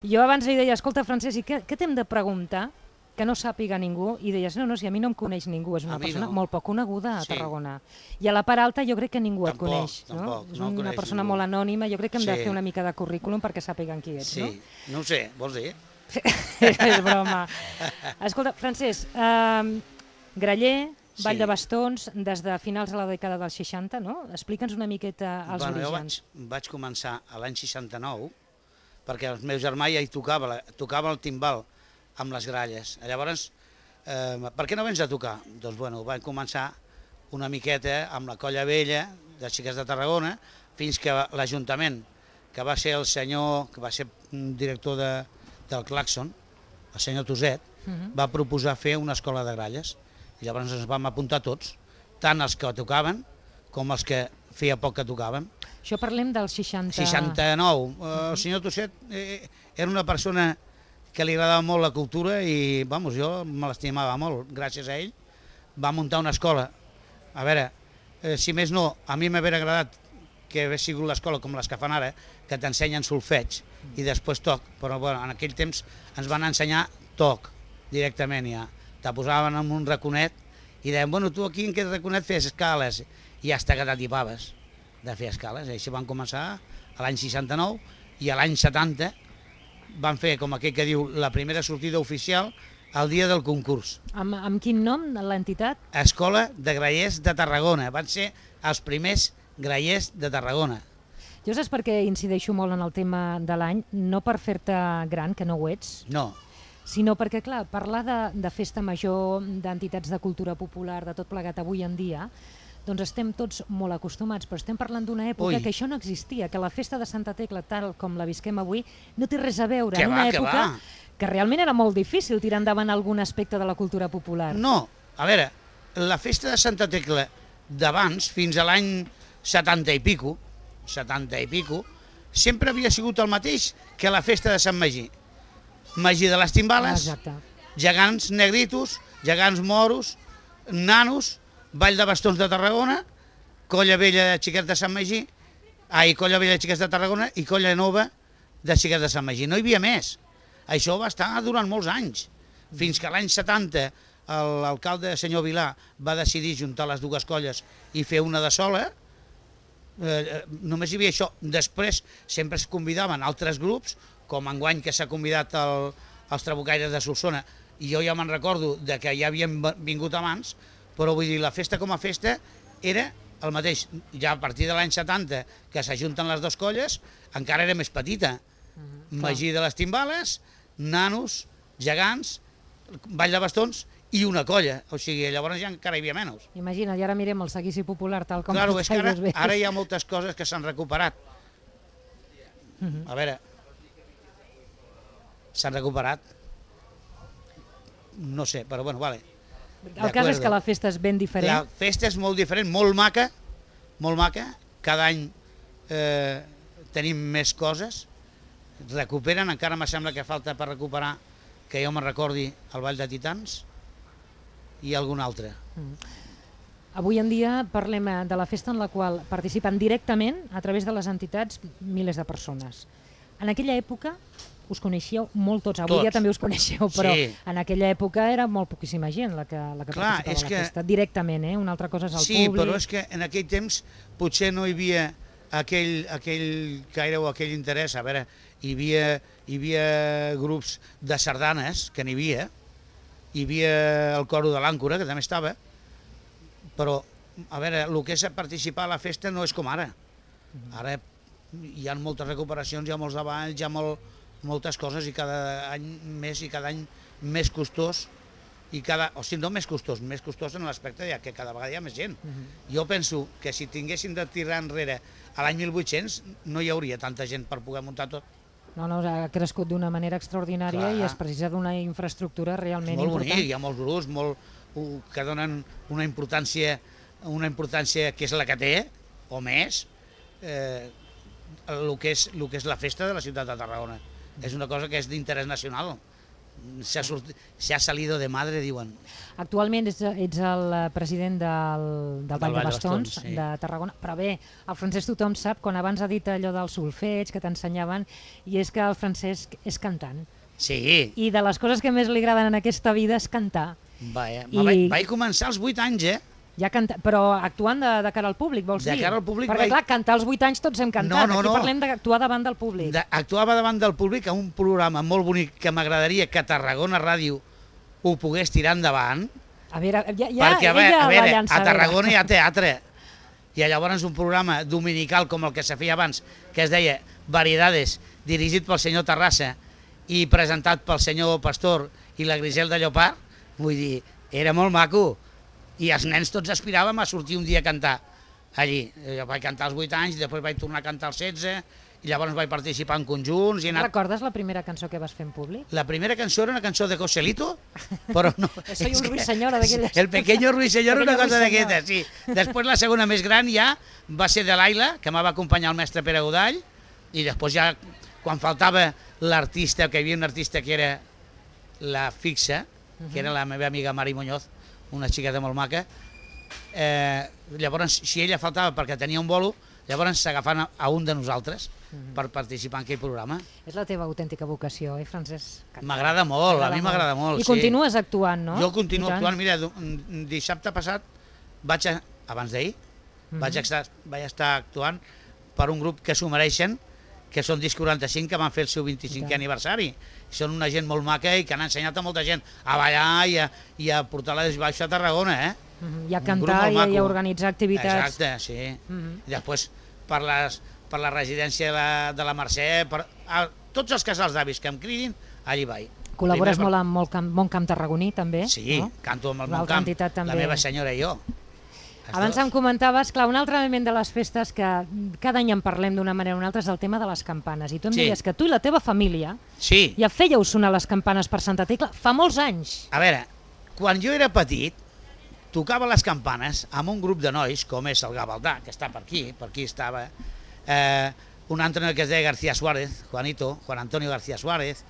Jo abans li deia, escolta, Francesc, i què t'hem de preguntar que no sàpiga ningú? I deies, no, si a mi no em coneix ningú, és una persona molt poc coneguda a Tarragona. I a la part alta jo crec que ningú et coneix. És una persona molt anònima, jo crec que hem de fer una mica de currículum perquè sàpiguen qui ets, no? Sí, no ho sé, vols dir? És broma. Escolta, Francesc, Graller, Vall de Bastons, des de finals de la dècada dels 60, no? Explica'ns una miqueta els orígens. Jo vaig començar l'any 69, perquè el meu germà ja hi tocava el timbal amb les gralles. Llavors, per què no vens a tocar? Doncs bueno, vam començar una miqueta amb la Colla Vella de Xiquets de Tarragona, fins que l'Ajuntament, que va ser el senyor, que va ser director del Claxon, el senyor Toset, va proposar fer una escola de gralles. I llavors ens vam apuntar tots, tant els que tocaven com els que feia poc que tocàvem. Això parlem del 60... 69. El senyor Tosset era una persona que li agradava molt la cultura i, vamos, jo me l'estimava molt. Gràcies a ell va muntar una escola. A veure, si més no, a mi m'hauria agradat que hagués sigut l'escola com les que fan ara, que t'ensenyen solfeig i després toc, però bueno, en aquell temps ens van ensenyar toc directament ja. Te posaven en un raconet i deien, bueno, tu aquí en aquest raconet fes escales i hasta que t'atipaves de fer escales. Així van començar a l'any 69 i a l'any 70 van fer, com aquell que diu, la primera sortida oficial el dia del concurs. Amb quin nom, l'entitat? Escola de Grallers de Tarragona. Van ser els primers grallers de Tarragona. Jo saps per què incideixo molt en el tema de l'any? No per fer-te gran, que no ho ets. No. Sinó perquè, clar, parlar de festa major, d'entitats de cultura popular, de tot plegat avui en dia, doncs estem tots molt acostumats, però estem parlant d'una època que això no existia, que la festa de Santa Tecla, tal com la visquem avui, no té res a veure. En una època que realment era molt difícil tirar endavant algun aspecte de la cultura popular. No, a veure, la festa de Santa Tecla d'abans, fins a l'any 70 i pico, sempre havia sigut el mateix que la festa de Sant Magí. Magí de les Timbales, gegants negritos, gegants moros, nanos, Vall de Bastons de Tarragona, Colla Vella de Xiquets de Sant Magí, Colla Vella de Xiquets de Tarragona i Colla Nova de Xiquets de Sant Magí. No hi havia més. Això va estar durant molts anys, fins que l'any 70 l'alcalde senyor Vilà va decidir juntar les dues colles i fer una de sola. Només hi havia això. Després sempre es convidaven altres grups, com enguany que s'ha convidat els Trabucaires de Solsona, i jo ja me'n recordo que ja havien vingut abans, però vull dir, la festa com a festa era el mateix. Ja a partir de l'any 70, que s'ajunten les dues colles, encara era més petita. Magí de les Timbales, nanos, gegants, Vall de Bastons i una colla. O sigui, llavors ja encara hi havia menys. Imagina't, i ara mirem el seguici popular tal com... Claro, és que ara hi ha moltes coses que s'han recuperat. A veure, s'han recuperat. No sé, però bueno, vale. El cas és que la festa és ben diferent. La festa és molt diferent, molt maca, molt maca. Cada any tenim més coses. Recuperen, encara me sembla que falta per recuperar, que jo me'n recordi, el Ball de Titans i algun altre. Avui en dia parlem de la festa en la qual participen directament, a través de les entitats, milers de persones. En aquella època us coneixíeu molt tots, avui ja també us coneixeu, però en aquella època era molt poquíssima gent la que participava a la festa, directament, una altra cosa és el públic. Sí, però és que en aquell temps potser no hi havia aquell caire o aquell interès. A veure, hi havia grups de sardanes, que n'hi havia, hi havia el coro de l'Àncora, que també estava, però, a veure, el que és participar a la festa no és com ara. Ara hi ha moltes recuperacions, hi ha molts treballs, hi ha moltes coses i cada any més costós, o sigui, no més costós en l'aspecte que cada vegada hi ha més gent. Jo penso que si tinguéssim de tirar enrere a l'any 1800 no hi hauria tanta gent per poder muntar tot. No, ha crescut d'una manera extraordinària i es precisa d'una infraestructura realment important. Molt bonic, hi ha molts grups que donen una importància que és la que té, o més, el que és la festa de la ciutat de Tarragona. És una cosa que és d'interès nacional. se ha salido de madre, diuen. Actualment ets el president del Ball de Bastons de Tarragona, però bé, el Francesc tothom sap, quan abans ha dit allò del solfeig que t'ensenyaven, i és que el Francesc és cantant. Sí. I de les coses que més li agraden en aquesta vida és cantar. Vaig començar als 8 anys, Ja però actuant de cara al públic, vols dir? De cara al públic. Perquè clar, cantar als 8 anys tots hem cantat. Aquí parlem d'actuar davant del públic. Actuava davant del públic a un programa molt bonic que m'agradaria que Tarragona Ràdio ho pogués tirar endavant. A veure, perquè a Tarragona hi ha teatre. I llavors un programa dominical com el que se feia abans, que es deia Variedades, dirigit pel senyor Terrassa i presentat pel senyor Pastor i la Griselda Llopart, vull dir, era molt maco. I els nens tots aspiràvem a sortir un dia a cantar allí. Jo vaig cantar als 8 anys, després vaig tornar a cantar als 16, i llavors vaig participar en conjunts. Recordes la primera cançó que vas fer en públic? La primera cançó era una cançó de Joselito, però no... Soy un ruiseñor d'aquelles. El pequeño ruiseñor, una cosa d'aquestes, sí. Després la segona més gran ja va ser de l'Aila, que m'ha acompanyar el mestre Pere Godall, i després ja, quan faltava l'artista, que hi havia un artista que era la fixa, que era la meva amiga Mari Muñoz, una xiqueta molt maca, llavors si ella faltava perquè tenia un bolo, llavors s'agafaven a un de nosaltres per participar en aquell programa. És la teva autèntica vocació, Francesc? M'agrada molt, a mi m'agrada molt. I continues actuant, no? Jo continuo actuant, mira, dissabte passat, abans d'ahir, vaig estar actuant per un grup que s'ho mereixen, que són Disc 45, que van fer el seu 25è aniversari. Són una gent molt maca i que han ensenyat a molta gent a ballar i a portar la desbaixa a Tarragona, I a cantar i a organitzar activitats. Exacte, sí. I després per la residència de la Mercè, tots els casals d'avis que em cridin, allí vaig. Col·labores molt amb Mont Camp Tarragoní, també? Sí, canto amb el Mont Camp, la meva senyora i jo. Abans em comentaves, clar, un altre element de les festes que cada any en parlem d'una manera o una altra és el tema de les campanes. I tu em deies que tu i la teva família ja fèieu sonar les campanes per Santa Tecla fa molts anys. A veure, quan jo era petit, tocava les campanes amb un grup de nois, com és el Gavaldà, que està per aquí estava, un altre noi que es deia García Suárez, Juan Antonio García Suárez,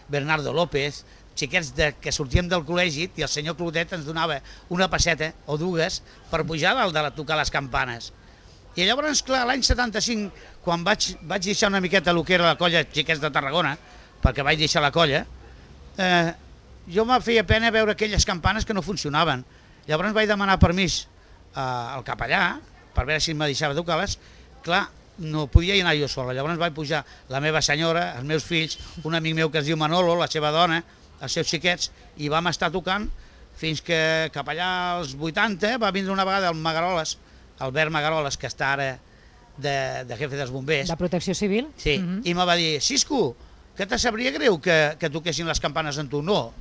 Bernardo López, xiquets que sortíem del col·legi i el senyor Clotet ens donava una passeta o dues per pujar dalt de tocar les campanes. I llavors, clar, l'any 75, quan vaig deixar una miqueta el que era la colla Xiquets de Tarragona, perquè vaig deixar la colla, jo me feia pena veure aquelles campanes que no funcionaven. Llavors vaig demanar permís al capellà per veure si em deixava tocar-les. Clar, no podia anar jo sola. Llavors vaig pujar la meva senyora, els meus fills, un amic meu que es diu Manolo, la seva dona, els seus xiquets, i vam estar tocant fins que cap allà als 80 va vindre una vegada el Magaroles, Albert Magaroles, que està ara de jefe dels bombers. De Protecció Civil? Sí, i me va dir, Cisco, que te sabria greu que toquessin les campanes amb tu? No.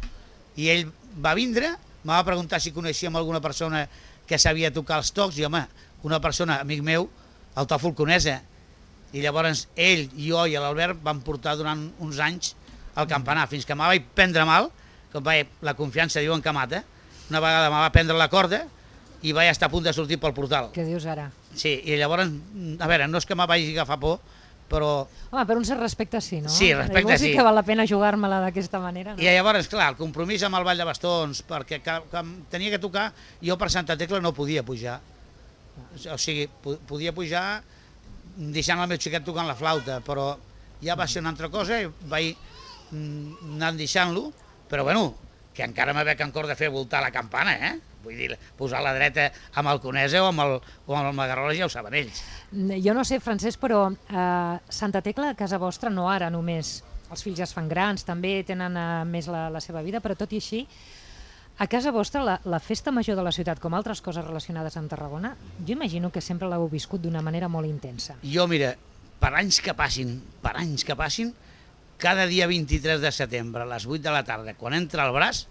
I ell va vindre, me va preguntar si coneixíem alguna persona que sabia tocar els tocs, i home, una persona, amic meu, el Tòfol Conesa, i llavors ell, jo i l'Albert vam portar durant uns anys el campanar, fins que me vaig prendre mal, com la confiança diuen que mata, una vegada me va prendre la corda i vaig estar a punt de sortir pel portal. Què dius ara? Sí, i llavors, a veure, no és que me vagi agafar por, però... Home, per un cert respecte sí, no? Sí, respecte llavors sí. Sí que val la pena jugar-me-la d'aquesta manera, no? I llavors, clar, el compromís amb el Ball de Bastons, perquè tenia que tocar, jo per Santa Tecla no podia pujar. O sigui, podia pujar deixant el meu xiquet tocant la flauta, però ja va ser una altra cosa i vaig anant deixant-lo, però bueno, que encara me veig encara de fer voltar la campana, Vull dir, posar la dreta amb el Conesa o amb el Magaroles ja ho saben ells. Jo no sé, Francesc, però Santa Tecla, a casa vostra, no ara només, els fills ja es fan grans, també tenen més la seva vida, però tot i així, a casa vostra, la festa major de la ciutat, com altres coses relacionades amb Tarragona, jo imagino que sempre l'heu viscut d'una manera molt intensa. Jo, mira, per anys que passin, cada dia 23 de setembre, a les 8 de la tarda, quan entra el braç,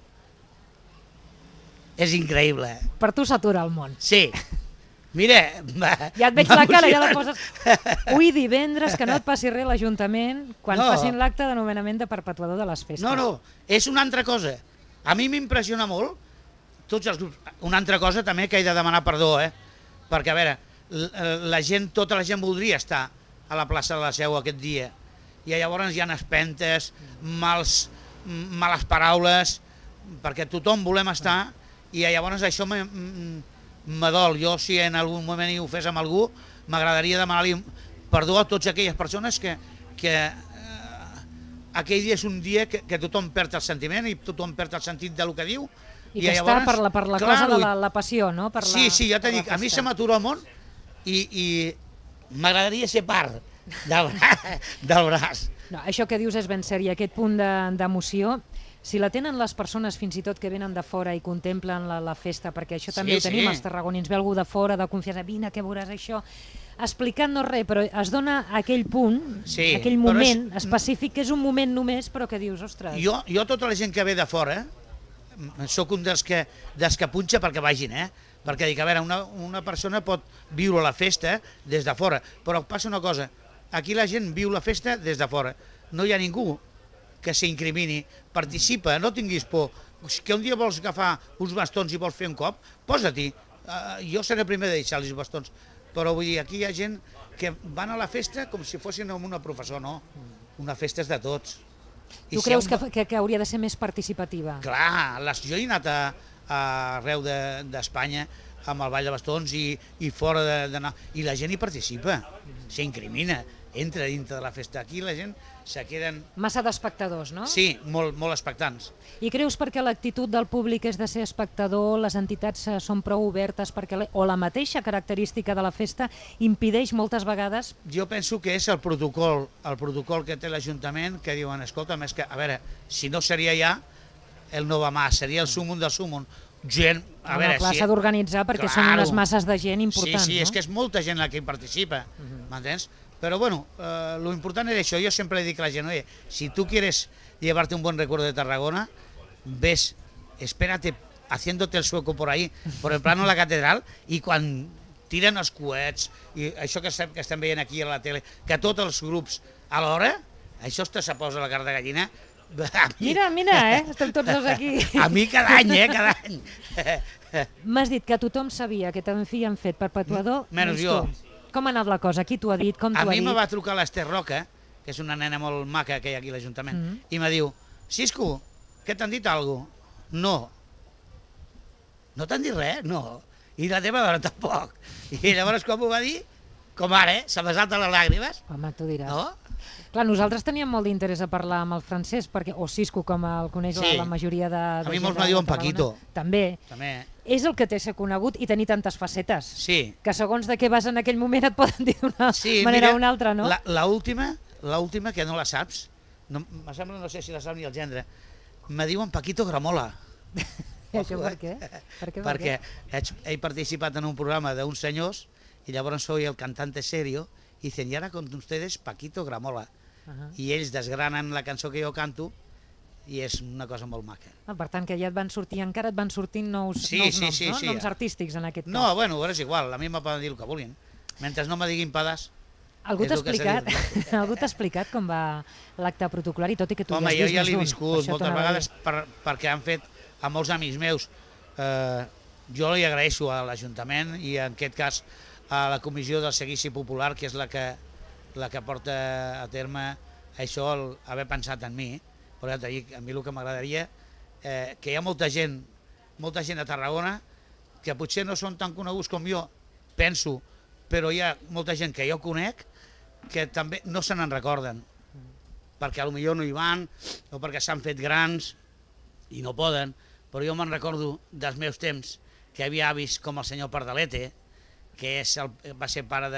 és increïble. Per tu s'atura el món. Sí. Mira... Ja et veig la cara, ja la poses... Ui, divendres, que no et passi res l'Ajuntament quan facin l'acte de nomenament de perpetuador de les festes. No, és una altra cosa. A mi m'impressiona molt, tots els grups... Una altra cosa també que he de demanar perdó, perquè, a veure, tota la gent voldria estar a la plaça de la Seu aquest dia, i llavors hi ha espentes, mals males paraules, perquè tothom volem estar, i llavors això me dol. Jo, si en algun moment hi ho fes amb algú, m'agradaria demanar-li perdó a totes aquelles persones que aquell dia és un dia que tothom perd el sentiment i tothom perd el sentit del que diu. I que està per la cosa de la passió, no? Sí, ja t'he dit, a mi se m'atura el món i m'agradaria ser part del braç. No, això que dius és ben cert, i aquest punt d'emoció, si la tenen les persones fins i tot que venen de fora i contemplen la festa, perquè això també ho tenim els tarragonins, ve algú de fora, de confiança, vine que veuràs això, explicant-nos res, però es dona aquell punt, aquell moment específic, que és un moment només, però que dius, ostres... Jo tota la gent que ve de fora, sóc un dels que punxa perquè vagin, perquè dic, a veure, una persona pot viure la festa des de fora, però passa una cosa, aquí la gent viu la festa des de fora, no hi ha ningú que s'incrimini, participa, no tinguis por, que un dia vols agafar uns bastons i vols fer un cop, posa-t'hi, jo seré el primer de deixar-li els bastons, però vull dir, aquí hi ha gent que van a la festa com si fossin una professor, no, una festa és de tots. Tu creus que hauria de ser més participativa? Clar, jo he anat arreu d'Espanya amb el Ball de Bastons i fora d'anar, i la gent hi participa, s'incrimina, entra dintre de la festa. Aquí la gent se queden... Massa d'espectadors, no? Sí, molt expectants. I creus perquè l'actitud del públic és de ser espectador, les entitats són prou obertes, o la mateixa característica de la festa impedeix moltes vegades? Jo penso que és el protocol que té l'Ajuntament, que diuen, escolta, més que, a veure, si no seria ja el no va más, seria el súmum del súmum. Gent, a veure... Clar, s'ha d'organitzar perquè són unes masses de gent importants, no? Sí, és que és molta gent la que hi participa, m'entens? Pero bueno, lo importante es eso. Yo siempre le digo a la gente, oye, si tú quieres llevarte un buen recuerdo de Tarragona, ves, espérate haciéndote el sueco por ahí, por el plano de la catedral, i quan tiren els coets, i això que estem veient aquí a la tele, que tots els grups a l'hora, això se posa la carn de gallina. Mira, estem tots dos aquí. A mi cada any, cada any. M'has dit que tothom sabia que t'han fet perpetuador, menys jo. Com ha anat la cosa? Qui t'ho ha dit? Com t'ho ha dit? A mi me va trucar l'Ester Roca, que és una nena molt maca que hi ha aquí a l'Ajuntament, i me diu, Xisco, que t'han dit alguna cosa? No. No t'han dit res? No. I la teva dona tampoc. I llavors com ho va dir? Com ara, se me salten les làgrimes. Home, tu diràs. No? Clar, nosaltres teníem molt d'interès a parlar amb el Francesc, o Xisco, com el coneix la majoria de gent. A mi molts me diuen Paquito. També. És el que té ser conegut i tenir tantes facetes. Sí. Que segons de què vas en aquell moment et poden dir d'una manera o una altra, no? L'última, que no la saps, me sembla, no sé si la sap ni el gendre, me diuen Paquito Gramola. Això per què? Perquè he participat en un programa d'uns senyors i llavors soy el cantante serio i dicen, i ara con ustedes Paquito Gramola. I ells desgranen la cançó que jo canto i és una cosa molt maca. Per tant, que ja encara et van sortint nous noms, no? Noms artístics en aquest cas. No, bueno, és igual, a mi me poden dir el que vulguin. Mentre no me diguin pedàs. Algú t'ha explicat com va l'acte protocolari, tot i que tu ja has vist més d'un? Home, jo ja l'he viscut moltes vegades perquè han fet a molts amics meus. Jo li agraeixo a l'Ajuntament i en aquest cas a la Comissió del Seguici Popular, que és la que porta a terme això, haver pensat en mi. Però ja t'he dit, a mi el que m'agradaria, que hi ha molta gent a Tarragona que potser no són tan coneguts com jo, penso, però hi ha molta gent que jo conec que també no se n'en recorden, perquè potser no hi van o perquè s'han fet grans i no poden, però jo me'n recordo dels meus temps que hi havia avis com el senyor Pardalete, que va ser pare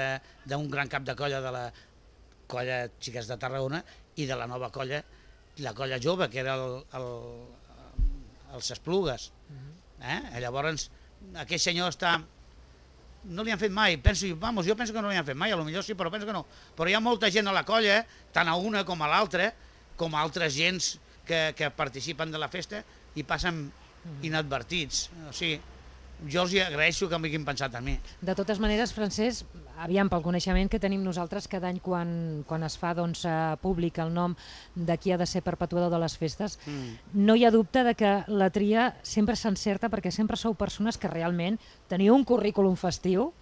d'un gran cap de colla de la colla Xiques de Tarragona i de la nova colla, la colla jove, que era els Esplugues. Llavors, aquell senyor no li han fet mai, jo penso que no li han fet mai, potser sí, però penso que no. Però hi ha molta gent a la colla, tant a una com a l'altra, com a altres gens que participen de la festa i passen inadvertits. O sigui, jo els agraeixo que m'hagin pensat en mi. De totes maneres, Francesc, aviam, pel coneixement que tenim nosaltres, cada any quan es fa públic el nom de qui ha de ser perpetuador de les festes, no hi ha dubte de que la tria sempre s'encerta perquè sempre sou persones que realment teniu un currículum festiu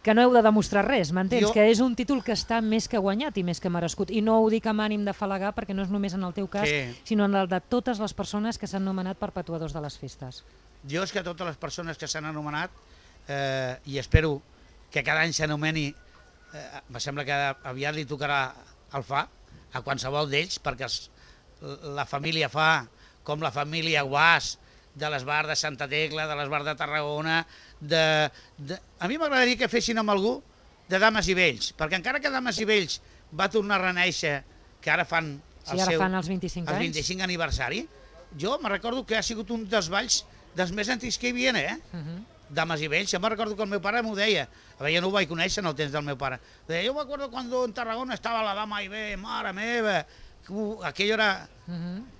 que no heu de demostrar res, m'entens? Jo- Que és un títol que està més que guanyat i més que merescut. I no ho dic amb ànim de falagar, perquè no és només en el teu cas, Sí. sinó en el de totes les persones que s'han nomenat perpetuadors de les festes. Jo és que totes les persones que s'han anomenat, i espero que cada any s'anomeni, me sembla que aviat li tocarà el Fa, a qualsevol d'ells, perquè la família Fa, com la família Guàs, de l'Esbar de Santa Tecla, de l'Esbar de Tarragona, a mi m'agradaria que fessin amb algú de Dames i Vells, perquè encara que Dames i Vells va tornar a reneixer, que ara fan Sí, ara fan els 25 anys. 25 aniversari, jo me recordo que ha sigut un dels balls dels més antics que hi havia, Dames i Vells. Jo me'n recordo que el meu pare m'ho deia. A veure, jo no ho vaig conèixer en el temps del meu pare. Deia, jo me acuerdo cuando en Tarragona estava la Dama i Bé, mare meva, aquello era...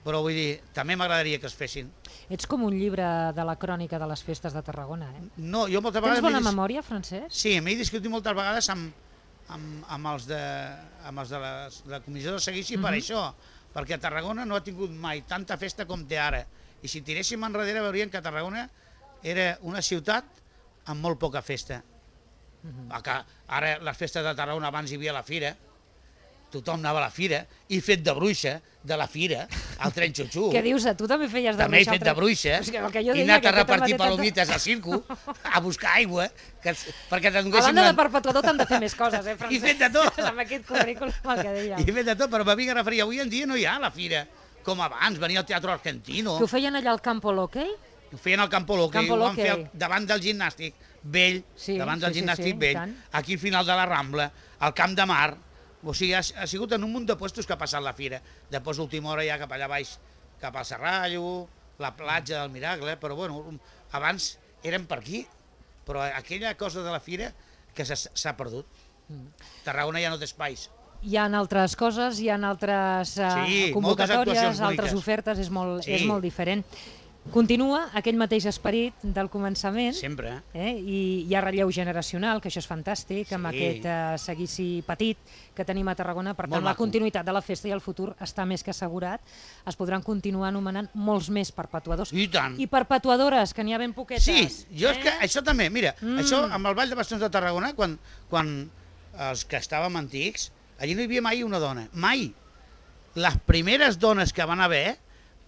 Però vull dir, també m'agradaria que es fessin. Ets com un llibre de la crònica de les festes de Tarragona, eh? No, jo moltes vegades... Tens bona memòria, Francesc? Sí, m'he discutit moltes vegades amb els de la comissió de seguici per això, perquè Tarragona no ha tingut mai tanta festa com té ara. I si tiréssim enrere veurien que Tarragona era una ciutat amb molt poca festa. Ara les festes de Tarragona, abans hi havia la fira, tothom anava a la fira, i fet de bruixa de la fira, al tren xutxu. Què dius? Tu també feies de També he bruixa? fet de bruixa, i he anat a repartir palomites al circo, a buscar aigua, perquè t'adonessin... A banda de perpetuador t'han de fer més coses, I Francesc? fet de tot. Amb aquest currículum el que dèiem. I fet de tot, però me vinc a referir, avui en dia no hi ha la fira, com abans, venia al Teatro Argentino. Que ho feien allà al Campo Loquei? Ho feien al Campo Loque, ho van fer davant del gimnàstic vell, davant del gimnàstic vell, aquí al final de la Rambla, al Camp de Mar. O sigui, ha sigut en un munt de puestos que ha passat la fira. Després, a última hora, ja cap allà baix, cap al Serrallo, la platja del Miracle, però bueno, abans érem per aquí, però aquella cosa de la fira que s'ha perdut. Tarragona ja no té espais. Hi ha altres coses, hi ha altres convocatòries, altres ofertes, és molt diferent. Continua aquell mateix esperit del començament. Sempre. I hi ha relleu generacional, que això és fantàstic, amb aquest seguici petit que tenim a Tarragona. Per tant, la continuïtat de la festa i el futur està més que assegurat. Es podran continuar anomenant molts més perpetuadors. I tant. I perpetuadores, que n'hi ha ben poquetes. Sí, jo és que això també, mira, això amb el Ball de Bastons de Tarragona, quan els que estàvem antics, allí no hi havia mai una dona, mai. Les primeres dones que van haver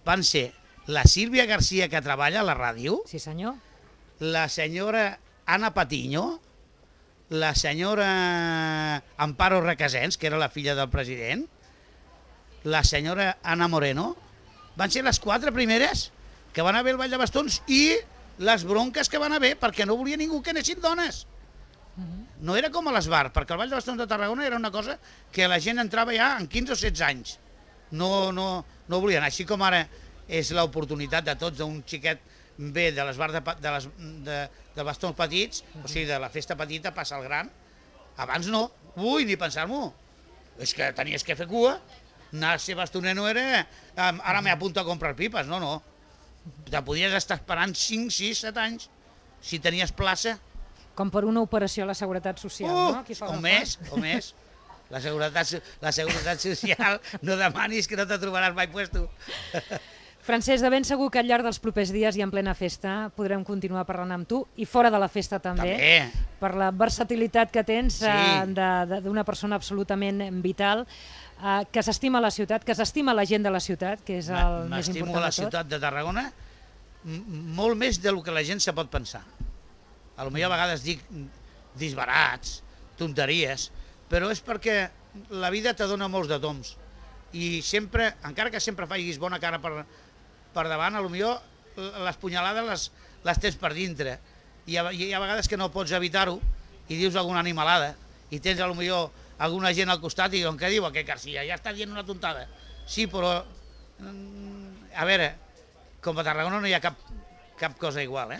van ser la Sílvia García, que treballa a la ràdio. Sí, senyor. La senyora Anna Patiño, la senyora Amparo Requesens, que era la filla del president, la senyora Ana Moreno. Van ser les 4 primeres que van haver el Ball de Bastons i les bronques que van haver perquè no volia ningú que anessin dones. No era com a l'Esbar, perquè el Ball de Bastons de Tarragona era una cosa que la gent entrava ja en 15 o 16 anys. No volien, així com ara és l'oportunitat de tots d'un xiquet bé de l'Esbar de bastons petits, o sigui, de la festa petita passa al gran. Abans no, ni pensar-m'ho. És que tenies que fer cua, anar a ser bastoner no era ara m'he apuntat a comprar pipes, no. Te podies estar esperant 5, 6, 7 anys si tenies plaça. Com per una operació a la Seguretat Social, no? O més. La Seguretat Social, no demanis que no te trobaràs mai puesto. Francesc, de ben segur que al llarg dels propers dies i en plena festa podrem continuar parlant amb tu i fora de la festa també. Per la versatilitat que tens d'una persona absolutament vital, que s'estima la ciutat, que s'estima la gent de la ciutat, que és el més important de tot. M'estimo la ciutat de Tarragona molt més del que la gent se pot pensar. Potser a vegades dic disbarats, tonteries, però és perquè la vida te dona molts de toms. I sempre, encara que sempre facis bona cara per davant, potser les punyalades les tens per dintre. I hi ha vegades que no pots evitar-ho i dius alguna animalada i tens potser alguna gent al costat i diuen, què diu aquest Garcia? Ja està dient una tontada. Sí, però a veure, com a Tarragona no hi ha cap cosa igual,